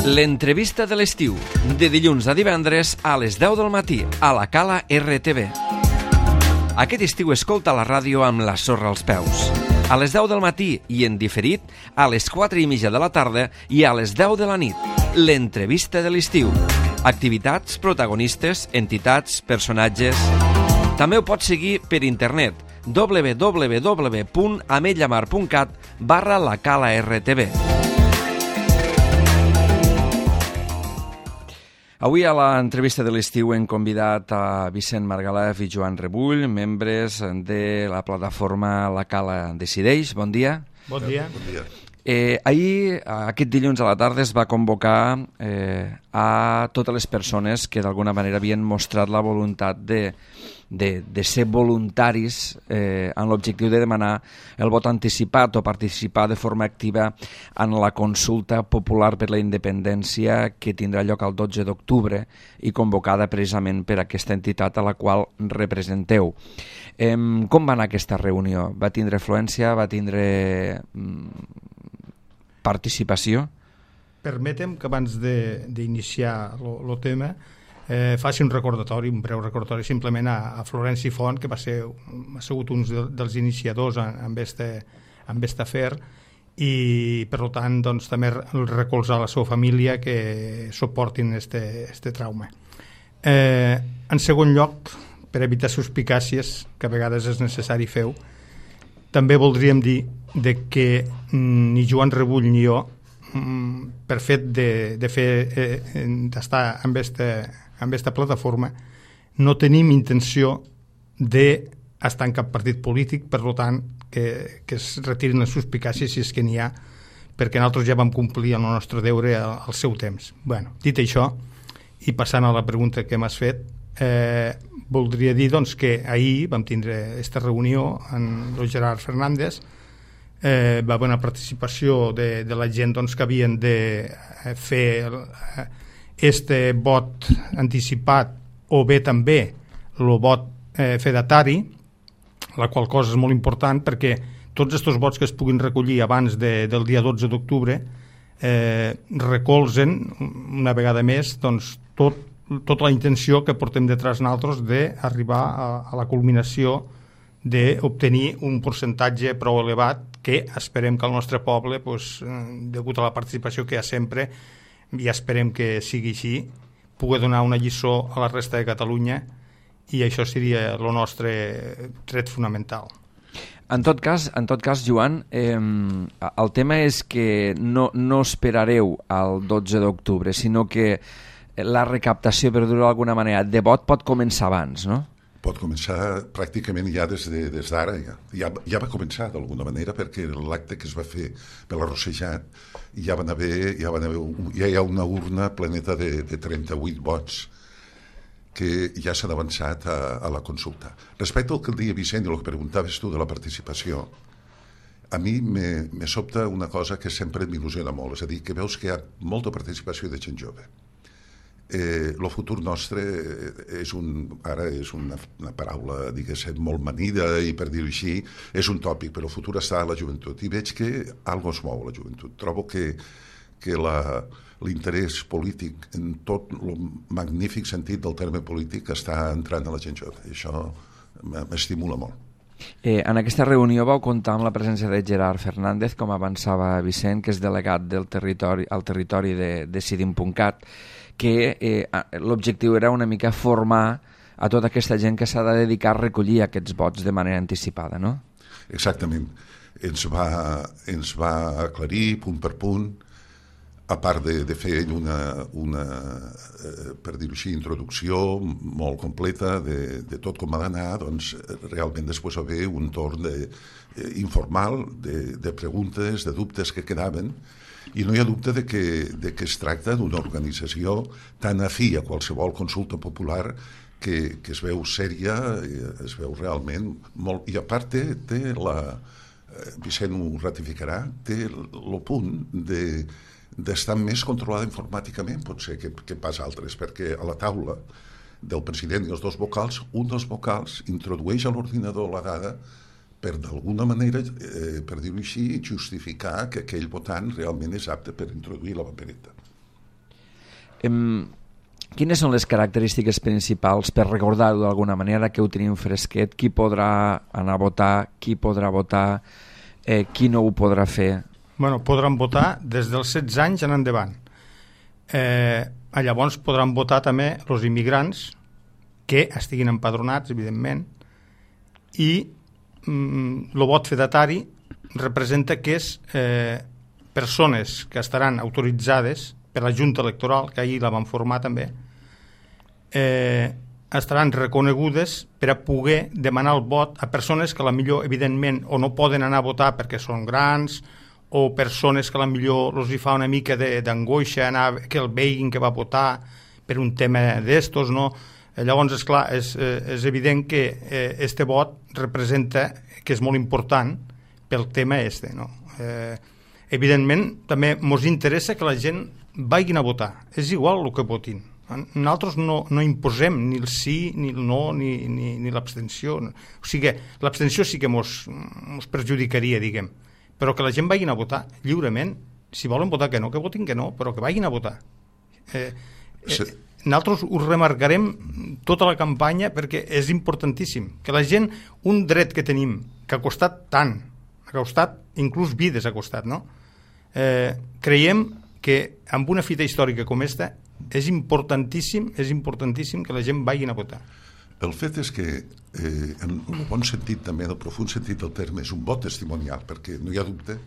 L'entrevista de l'estiu, de dilluns a divendres a les 10 del matí, a la Cala RTV. Aquest estiu escolta la ràdio amb la sorra als peus. A les 10 del matí i en diferit, a les 4:30 de la tarda i a les 10 de la nit. L'entrevista de l'estiu. Activitats, protagonistes, entitats, personatges... També ho pots seguir per internet www.ametlllamar.cat/la-cala-rtv. Avui a l'entrevista de l'estiu hem convidat a Vicent Margalef i Joan Rebull, membres de la plataforma La Cala Decideix. Bon dia. Bon dia. Bon dia. Ahir, aquest dilluns a la tarda, es va convocar a totes les persones que d'alguna manera havien mostrat la voluntat de ser voluntaris en l'objectiu de demanar el vot anticipat o participar de forma activa en la consulta popular per la independència que tindrà lloc el 12 d'octubre i convocada precisament per aquesta entitat a la qual representeu. Com va anar aquesta reunió? Va tindre afluència? Va tindre participació? Permetem que abans d'iniciar el tema faci un recordatori, un breu recordatori simplement a Florenci Font, que ha sigut un dels iniciadors amb aquest afer, i per tant doncs, també recolzar la seva família que suportin este trauma. En segon lloc, per evitar suspicàcies, que a vegades és necessari fer-ho, també voldríem dir que ni Joan Rebull ni jo, per fet d'estar amb aquesta plataforma, no tenim intenció d'estar en cap partit polític, per tant que es retirin les suspicàcies si és que n'hi ha, perquè nosaltres ja vam complir el nostre deure al seu temps. Bueno, dit això, i passant a la pregunta que m'has fet, voldria dir doncs, que ahir vam tindre aquesta reunió amb el Gerard Fernández. Va haver una participació de la gent doncs, que havien de fer este vot anticipat o bé també el vot fedatari, la qual cosa és molt important perquè tots aquests vots que es puguin recollir abans del dia 12 d'octubre recolzen una vegada més doncs, tota la intenció que portem detrás nosaltres d'arribar a la culminació d'obtenir un percentatge prou elevat que esperem que el nostre poble, degut a la participació que hi ha sempre, i esperem que sigui així, pugui donar una lliçó a la resta de Catalunya, i això seria el nostre tret fonamental. En tot cas, Joan, el tema és que no esperareu al 12 d'octubre, sinó que la recaptació, per dir-ho d'alguna manera, de vot pot començar abans, no? Pot començar pràcticament ja des d'ara. Ja va començar d'alguna manera, perquè l'acte que es va fer per l'arrossejat ja hi ha una urna planeta de 38 vots que ja s'han avançat a la consulta. Respecte al que deia Vicent i el que preguntaves tu de la participació, a mi me sobta una cosa que sempre m'il·lusiona molt, és a dir, que veus que hi ha molta participació de gent jove. El futur nostre ara és una paraula, diguéssim, molt manida i, per dir-ho així, és un tòpic, però el futur està a la joventut i veig que algo es mou a la joventut. Trobo que l'interès polític en tot el magnífic sentit del terme polític està entrant a la gent jove i això m'estimula molt. En aquesta reunió vau comptar amb la presència de Gerard Fernández, com avançava Vicent, que és delegat al territori de Decidim.cat, que l'objectiu era una mica formar a tota aquesta gent que s'ha de dedicar a recollir aquests vots de manera anticipada, no? Exactament. Ens va aclarir punt per punt, a part de fer una per dir-ho així, introducció molt completa de tot com ha d'anar, doncs realment després va haver un torn informal de preguntes, de dubtes que quedaven, i no hi ha dubte de que es tracta d'una organització tan afí a qualsevol consulta popular que es veu sèria, es veu realment molt... I a part té Vicent ho ratificarà, té el punt d'estar més controlada informàticament, potser, que pas altres, perquè a la taula del president i els dos vocals, un dels vocals introdueix a l'ordinador la dada per d'alguna manera, per dir-ho així, justificar que aquell votant realment és apte per introduir la papereta. Quines són les característiques principals per recordar-ho d'alguna manera, que ho tenim fresquet? Qui podrà anar a votar, qui podrà votar, qui no ho podrà fer? Bueno, podran votar des dels 16 anys en endavant. Llavors podran votar també els immigrants que estiguin empadronats, evidentment, i el vot fedatari representa que és persones que estaran autoritzades per la Junta Electoral, que ahir la van formar també, estaran reconegudes per a poder demanar el vot a persones que potser, evidentment, o no poden anar a votar perquè són grans, o persones que potser els hi fa una mica d'angoixa que el veguin que va votar per un tema d'estos, no? Llavors, esclar, és evident que este vot representa que és molt important pel tema este, no? Evidentment, també ens interessa que la gent vagin a votar. És igual el que votin. Nosaltres no imposem ni el sí, ni el no, ni l'abstenció. O sigui, l'abstenció sí que ens perjudicaria, diguem. Però que la gent vagin a votar lliurement. Si volen votar que no, que votin que no, però que vagin a votar. Nosaltres ho remarcarem tota la campanya perquè és importantíssim. Que la gent, un dret que tenim, que ha costat tant, ha costat, inclús vides ha costat, no? Creiem que amb una fita històrica com esta és importantíssim que la gent vagin a votar. El fet és que, en el bon sentit també, en el profund sentit del terme, és un vot testimonial, perquè no hi ha dubte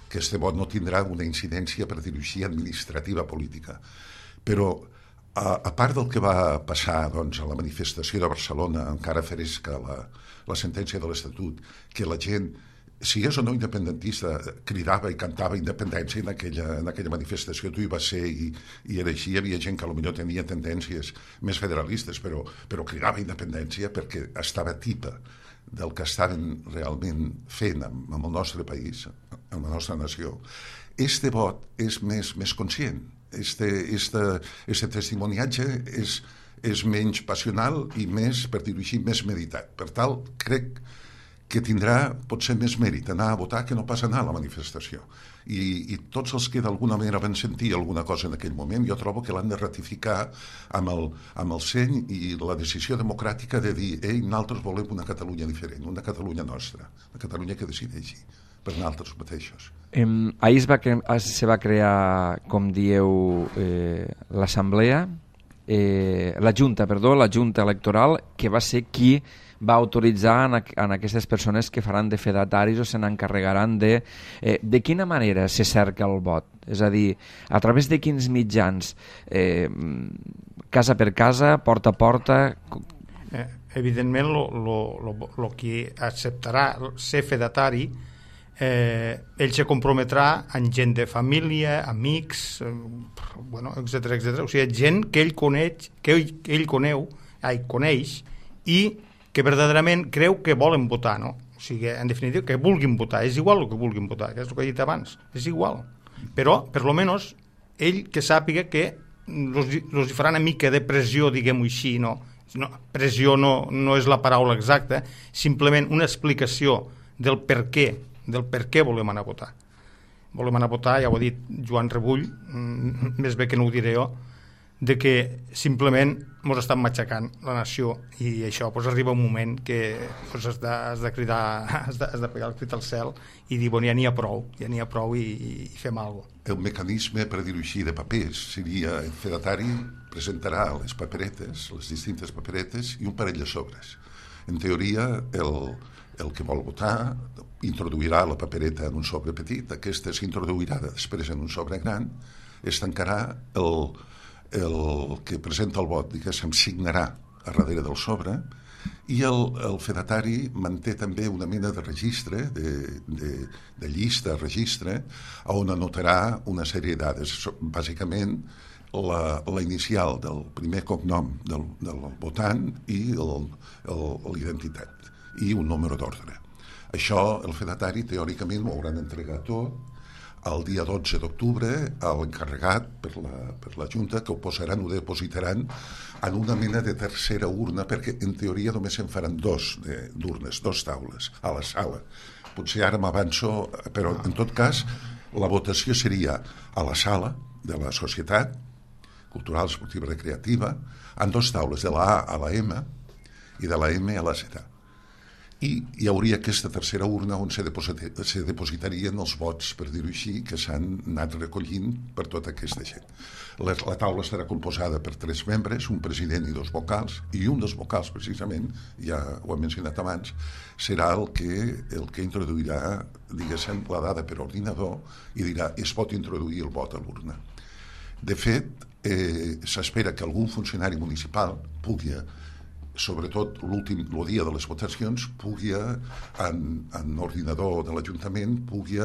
que este vot no tindrà una incidència, per dir-ho així, administrativa política. Però, a part del que va passar doncs, a la manifestació de Barcelona, encara fresca la sentència de l'Estatut, que la gent, si és o no independentista, cridava i cantava independència en aquella manifestació. Tu hi vas ser i era així. Hi havia gent que potser tenia tendències més federalistes, però cridava independència perquè estava tipa del que estaven realment fent amb el nostre país, amb la nostra nació. Este vot és més conscient. Este testimoniatge és menys passional i més, per dir-ho així, més meditat. Per tal, crec que tindrà potser més mèrit anar a votar que no pas anar a la manifestació. I tots els que d'alguna manera van sentir alguna cosa en aquell moment, jo trobo que l'han de ratificar amb el seny i la decisió democràtica de dir nosaltres volem una Catalunya diferent, una Catalunya nostra, una Catalunya que decideixi per nosaltres mateixos. Ahir se va crear, com dieu, l'Assemblea, la Junta Electoral, que va ser qui va autoritzar en aquestes persones que faran de fedataris o se n'encarregaran de quina manera se cerca el vot? És a dir, a través de quins mitjans? Casa per casa, porta a porta? Evidentment, el que acceptarà ser fedatari, ell se comprometrà amb gent de família, amics, etc. O sigui, gent que ell coneix i que verdaderament creu que volen votar, no? O sigui, en definitiva, que vulguin votar. És igual el que vulguin votar, que és el que he dit abans. És igual. Però, per lo menos, ell que sàpiga que els farà una mica de pressió, diguem-ho així, no? Pressió no és la paraula exacta, simplement una explicació del per què volem anar a votar. Volem anar a votar, ja ho ha dit Joan Rebull, més bé que no ho diré jo, de que simplement ens estan matxacant la nació i això arriba un moment que has de cridar, has de pegar el crit al cel i dir, ja n'hi ha prou i fem alguna cosa. El mecanisme, per dir-ho així, de papers seria el fedatari presentarà les paperetes, les distintes paperetes i un parell de sobres. En teoria, el que vol votar introduirà la papereta en un sobre petit, aquesta s'introduirà després en un sobre gran, es tancarà el que presenta el vot, diguéssim, signarà a darrere del sobre i el fedatari manté també una mena de registre, de llista, registre, on anotarà una sèrie de dades, bàsicament la inicial del primer cognom del votant i l'identitat i un número d'ordre. Això el fedatari teòricament ho hauran entregat tot el dia 12 d'octubre a l'encarregat per la Junta, que ho posaran, ho depositaran en una mena de tercera urna, perquè en teoria només se'n faran dos d'urnes, dos taules a la sala. Potser ara m'avanço, però en tot cas la votació seria a la sala de la societat, cultural, esportiva, recreativa, en 2 taules, de la A a la M i de la M a la Z. I hi hauria aquesta tercera urna on se depositarien els vots, per dir-ho així, que s'han anat recollint per tota aquesta gent. La taula estarà composada per 3 membres, un president i 2 vocals, i un dels vocals, precisament, ja ho he mencionat abans, serà el que introduirà, diguéssim, la dada per ordinador i dirà, es pot introduir el vot a l'urna. De fet, s'espera que algun funcionari municipal pugui, sobretot el dia de les votacions, pugui, en ordinador de l'Ajuntament, pugui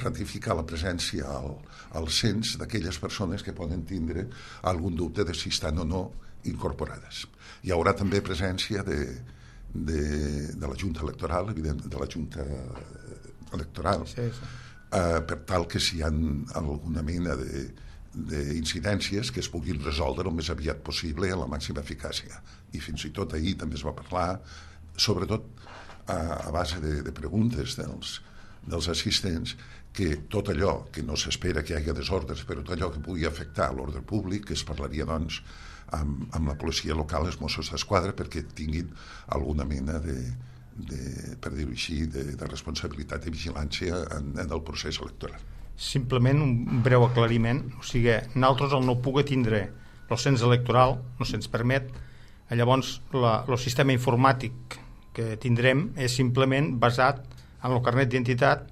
ratificar la presència al cens d'aquelles persones que poden tindre algun dubte de si estan o no incorporades. Hi haurà també presència de la Junta Electoral, evidentment, de la Junta Electoral, sí. Per tal que si hi ha alguna mena d'incidències que es puguin resoldre el més aviat possible a la màxima eficàcia. I fins i tot ahir també es va parlar, sobretot a base de preguntes dels assistents, que tot allò que no s'espera que hi hagi desordres, però tot allò que pugui afectar l'ordre públic, que es parlaria, doncs, amb la policia local, els Mossos d'Esquadra, perquè tinguin alguna mena per dir-ho així, de responsabilitat i vigilància en el procés electoral. Simplement un breu aclariment, o sigui, nosaltres el no pugui tindre el cens electoral, no se'ns permet, llavors el sistema informàtic que tindrem és simplement basat en el carnet d'identitat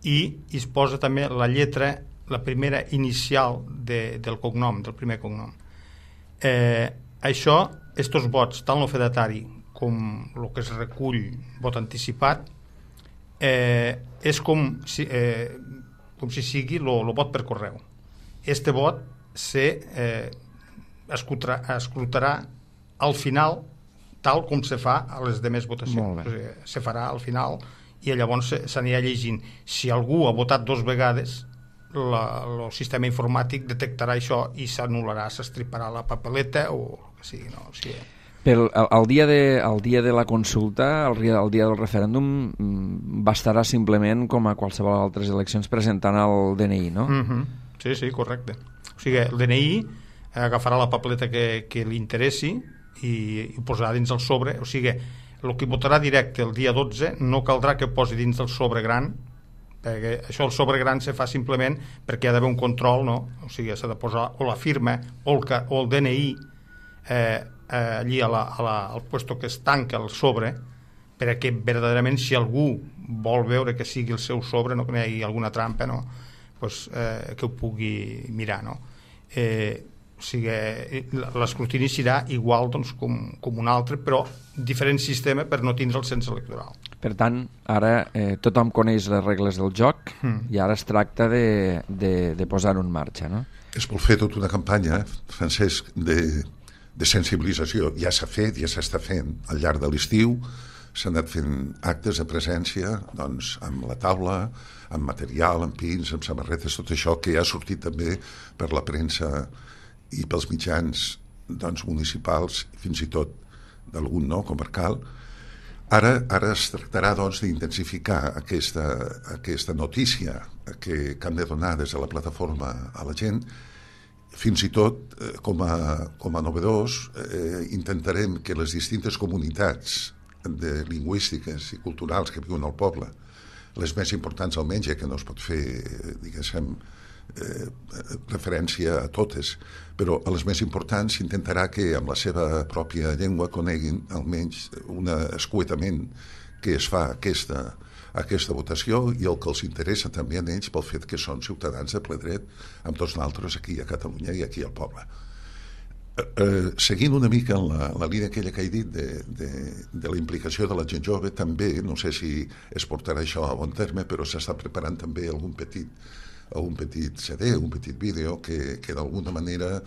i es posa també la lletra, la primera inicial del cognom, del primer cognom. Això, estos vots, tant el fedatari com el que es recull vot anticipat, és com si sigui el vot per correu. Este vot escrutarà al final tal com se fa a les demés votacions. O sigui, se farà al final i llavors s'anirà llegint. Si algú ha votat 2 vegades, el sistema informàtic detectarà això i s'anul·larà, s'estriparà la papeleta o el que sigui. No? O sigui, el dia de la consulta, el dia del referèndum, bastarà simplement, com a qualsevol altres eleccions, presentant el DNI, no? Sí, correcte. O sigui, el DNI agafarà la papeleta que li interessi i ho posarà dins el sobre. O sigui, el que votarà directe el dia 12 no caldrà que posi dins del sobre gran, perquè això el sobre gran se fa simplement perquè hi ha d'haver un control, no? O sigui, s'ha de posar o la firma o el DNI allí al puesto que es tanca el sobre, perquè verdaderament si algú vol veure que sigui el seu sobre, no que hi hagi alguna trampa, no? Pues, que ho pugui mirar, no? O sigui, l'escrutini serà igual, doncs, com un altre, però diferent sistema per no tindre el cens electoral. Per tant, ara tothom coneix les regles del joc i ara es tracta de posar-ho en marxa, no? Es vol fer tota una campanya, Francesc, de sensibilització. Ja s'ha fet, ja s'està fent al llarg de l'estiu, s'han anat fent actes de presència, doncs, amb la taula, amb material, amb pins, amb samarretes, tot això que ja ha sortit també per la premsa i pels mitjans, doncs, municipals, fins i tot d'algun comarcal. Ara es tractarà, doncs, d'intensificar aquesta notícia que hem de donar des de la plataforma a la gent. Fins i tot, com a novedós, intentarem que les distintes comunitats lingüístiques i culturals que viuen al poble, les més importants almenys, ja que no es pot fer, diguéssim, referència a totes, però a les més importants s'intentarà que amb la seva pròpia llengua coneguin almenys un escuetament que es fa aquesta votació i el que els interessa també a ells pel fet que són ciutadans de ple dret amb tots nosaltres aquí a Catalunya i aquí al poble. Seguint una mica en la línia aquella que he dit de la implicació de la gent jove, també, no sé si es portarà això a bon terme, però s'està preparant també algun petit CD, un petit vídeo que d'alguna manera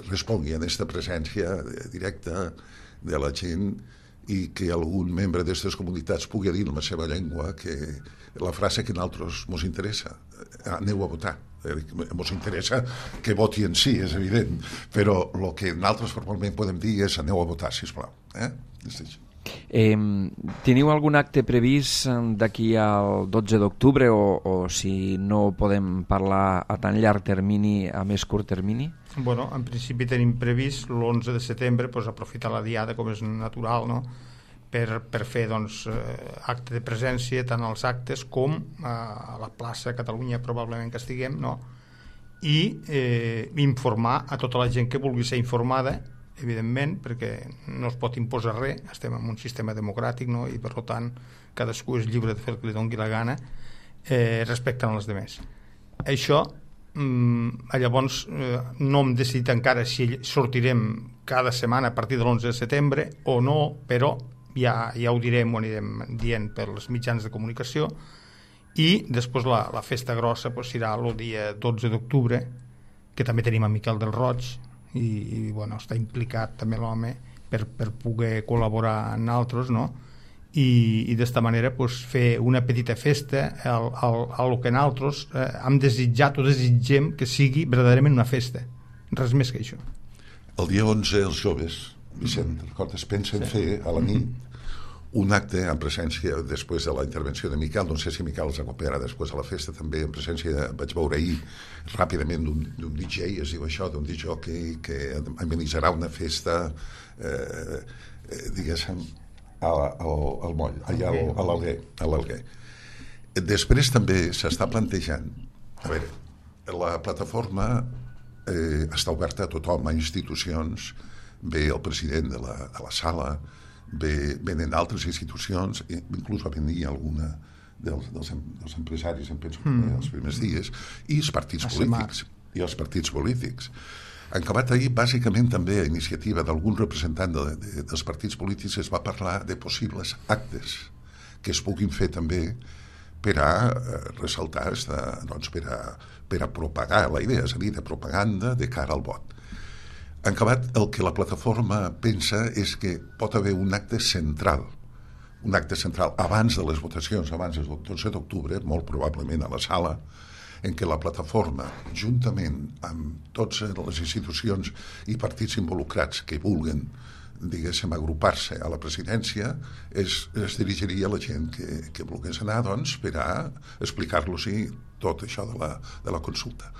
respongui a aquesta presència directa de la gent i que algun membre d'aquestes comunitats pugui dir en la seva llengua que la frase que a nosaltres ens interessa, aneu a votar. Ens interessa que voti en sí, és evident, però el que nosaltres formalment podem dir és aneu a votar, sisplau. Teniu algun acte previst d'aquí al 12 d'octubre o si no podem parlar a tan llarg termini, a més curt termini? Bueno, en principi tenim previst l'11 de setembre aprofitar la diada, com és natural, no? per fer acte de presència tant als actes com a la plaça Catalunya probablement que estiguem, no? I informar a tota la gent que vulgui ser informada, evidentment, perquè no es pot imposar res, estem en un sistema democràtic, no? I per tant cadascú és lliure de fer el que li doni la gana respectant els altres. Això llavors no hem decidit encara si sortirem cada setmana a partir de l'11 de setembre o no, però ja ho direm, ho anirem dient pels mitjans de comunicació. I després la festa grossa serà el dia 12 d'octubre, que també tenim a Miquel del Roig i bueno, està implicat també l'home per poder col·laborar amb altres, no? I d'esta manera fer una petita festa al que nosaltres hem desitjat o desitgem que sigui verdaderament una festa, res més que això. El dia 11 els joves, Vicent, recordes, pensen fer a la nit un acte en presència, després de la intervenció de Miquel, no sé si Miquel els acompanyarà després a la festa també, en presència, vaig veure ahir ràpidament d'un DJ, es diu això, d'un DJ que amenitzarà una festa diguéssim al moll, allà a l'Alguer. Després també s'està plantejant, a veure, la plataforma està oberta a tothom, a institucions, ve el president de la sala, venen altres institucions, inclús va venir alguna dels empresaris, em penso, els primers dies, i els partits polítics. En acabat ahir, bàsicament també a iniciativa d'algun representant dels partits polítics es va parlar de possibles actes que es puguin fer també per a ressaltar, per a propagar la idea, és a dir, de propaganda de cara al vot. En acabat, el que la plataforma pensa és que pot haver un acte central abans de les votacions, abans del 12 d'octubre, molt probablement a la sala, en què la plataforma, juntament amb totes les institucions i partits involucrats que vulguen, diguéssim, agrupar-se a la presidència, es dirigiria a la gent que volgués anar, doncs, per a explicar-los tot això de la consulta.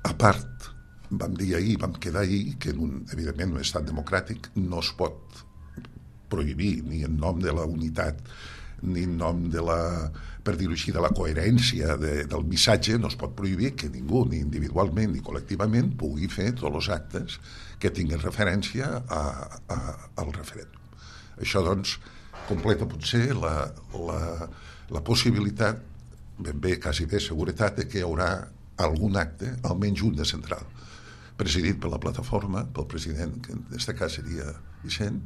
A part, vam dir ahir, vam quedar ahir, que evidentment en un estat democràtic no es pot prohibir, ni en nom de la unitat, ni en nom de per dir-ho així, de la coherència del missatge, no es pot prohibir que ningú, ni individualment ni col·lectivament, pugui fer tots els actes que tinguin referència al referèndum. Això, doncs, completa potser la possibilitat, ben bé, quasi bé seguretat, de que hi haurà algun acte, almenys un de central, presidit per la plataforma, pel president, que en aquest cas seria Vicent,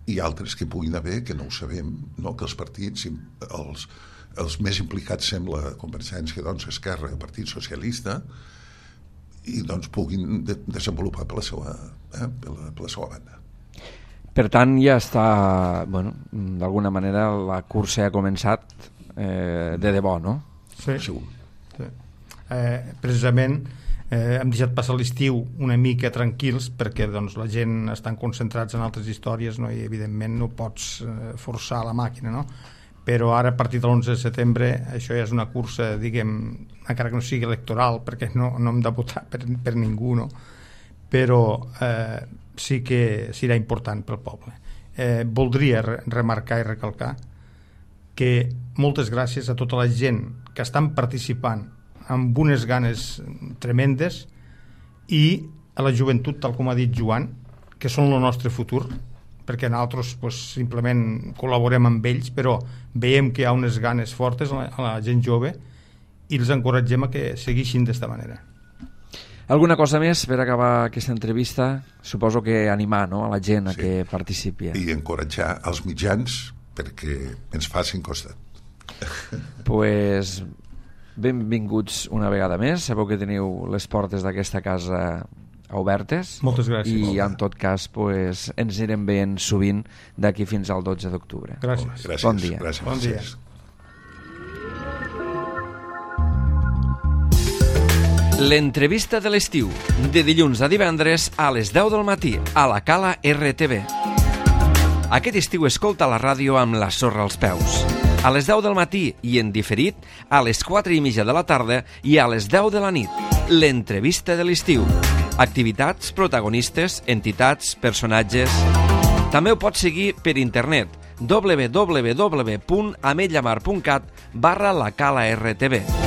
i altres que puguin haver, que no ho sabem, no? Que els partits, els més implicats sembla Convergència, doncs, Esquerra, el Partit Socialista, i doncs puguin desenvolupar per la seva banda. Per tant, ja està, bueno, d'alguna manera la cursa ha començat de debò, no? Sí. Segur. Sí. Precisament hem deixat passar l'estiu una mica tranquils perquè doncs, la gent estan concentrats en altres històries, no? I evidentment no pots forçar la màquina, no? Però ara a partir de l'11 de setembre això ja és una cursa, diguem, encara que no sigui electoral, perquè no hem de votar per ningú, no? Però sí que serà important pel poble. Voldria remarcar i recalcar que moltes gràcies a tota la gent que estan participant amb unes ganes tremendes i a la joventut, tal com ha dit Joan, que són el nostre futur, perquè nosaltres simplement col·laborem amb ells, però veiem que hi ha unes ganes fortes a la gent jove i els encoratgem a que segueixin d'esta manera. Alguna cosa més per acabar aquesta entrevista? Suposo que animar, no?, a la gent a que participi. I encoratjar els mitjans perquè ens facin costat. Pues benvinguts una vegada més. Sabeu que teniu les portes d'aquesta casa obertes. Moltes gràcies. I en tot cas ens anirem veient sovint d'aquí fins al 12 d'octubre. Gràcies. Bon dia. Gràcies. Bon dia. L'entrevista de l'estiu, de dilluns a divendres a les 10 del matí a la Cala RTV. Aquest estiu escolta la ràdio amb la sorra als peus. A les 10 del matí i en diferit, a les 4:30 de la tarda i a les 10 de la nit. L'entrevista de l'estiu. Activitats, protagonistes, entitats, personatges... També ho pots seguir per internet www.ametlllamar.cat/la Cala RTV.